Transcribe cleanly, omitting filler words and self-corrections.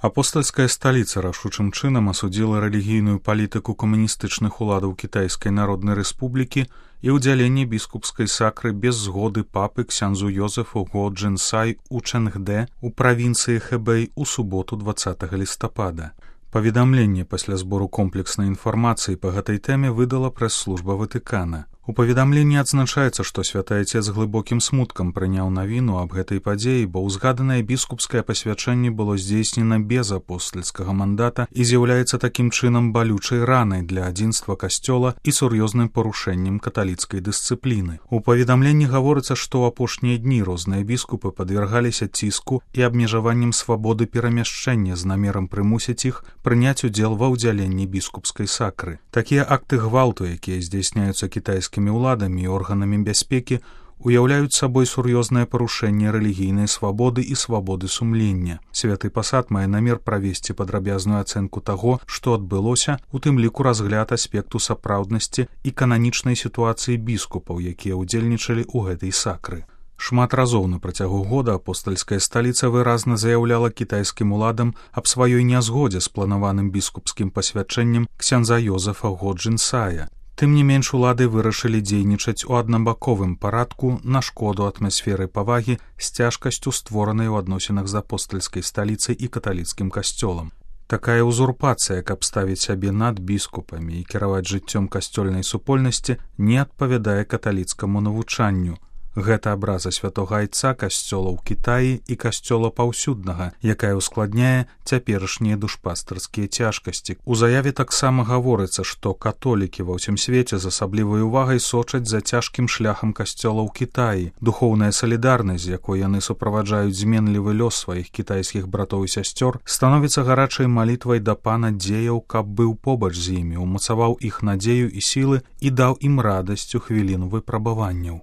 Апостальская сталіца рашучым чынам асудзіла рэлігійную палітыку камуністычных уладаў Кітайскай Народнай Рэспублікі і ўдзяленне біскупскай сакры без згоды папы ксяндзу Йозефу Го Джэнсай у Чэнгдэ у правінцыі Хэбэй у суботу 20 лістапада. Паведамленне пасля збору комплекснай інфармацыі па гэтай тэме выдала прэс-служба Ватыкана. У паведамленні адзначаецца, што святы Ацец з глыбокім смуткам прыняў навіну аб гэтай падзеі, бо ўзгаданае біскупскае пасвячэнне было здзейснена без апостальскага мандата і з'яўляецца такім чынам балючай ранай для адзінства касцёла і сур'ёзным парушэннем каталіцкай дысцыпліны. У паведамленні гаворыцца, што ў апошнія дні розныя біскупы падвергаліся ціску і абмежаваннем свабоды перамяшчэння з намерам прымусіць іх прыняць удзел ва ўдзяленні біскупскай сакры. Такія акты гвалту, якія здзяйсняюцца кітайскімі уладамі і органамі бяспекі, уяўляюць сабой сур'ёзнае парушэнне рэлігійнай свабоды і свабоды сумлення. Святы пасад мае намер правесці падрабязную ацэнку таго, што адбылося, у тым ліку разгляд аспекту сапраўднасці і кананічнай сітуацыі біскупаў, якія ўдзельнічалі ў гэтай сакры. Шмат разоў на працягу года апостальская сталіца выразна заяўляла кітайскім уладам аб сваёй нязгодзе з планаваным біскупскім пасвячэннем ксяндза Йозефа Го Джэнсая. Тым не менш улады вырашылі дзейнічаць у аднабаковым парадку на шкоду атмасферы павагі з цяжкасцю, створанай у адносінах з апостальскай сталіцай і каталіцкім касцёлам. Такая ўзурпацыя, каб ставіць сябе над біскупамі і кіраваць жыццём касцёльнай супольнасці, не адпавядае каталіцкаму навучанню. Гэта абраза святога айца касцёла ў Кітаі і касцёла паўсюднага, якая ўскладняе цяперашнія душпастарскія цяжкасці. У заяве таксама гаворыцца, што католікі ва ўсім свеце з асаблівай увагай сочаць за цяжкім шляхам касцёла ў Кітаі. Духоўная салідарнасць, з якой яны суправаджаюць зменлівы лёс сваіх кітайскіх братоў і сясцёр, становіцца гарачай малітвай да пана дзеяў, каб быў побач з імі, умацаваў іх надзею і сілы і даў ім радасць у хвіліну выпрабаванняў.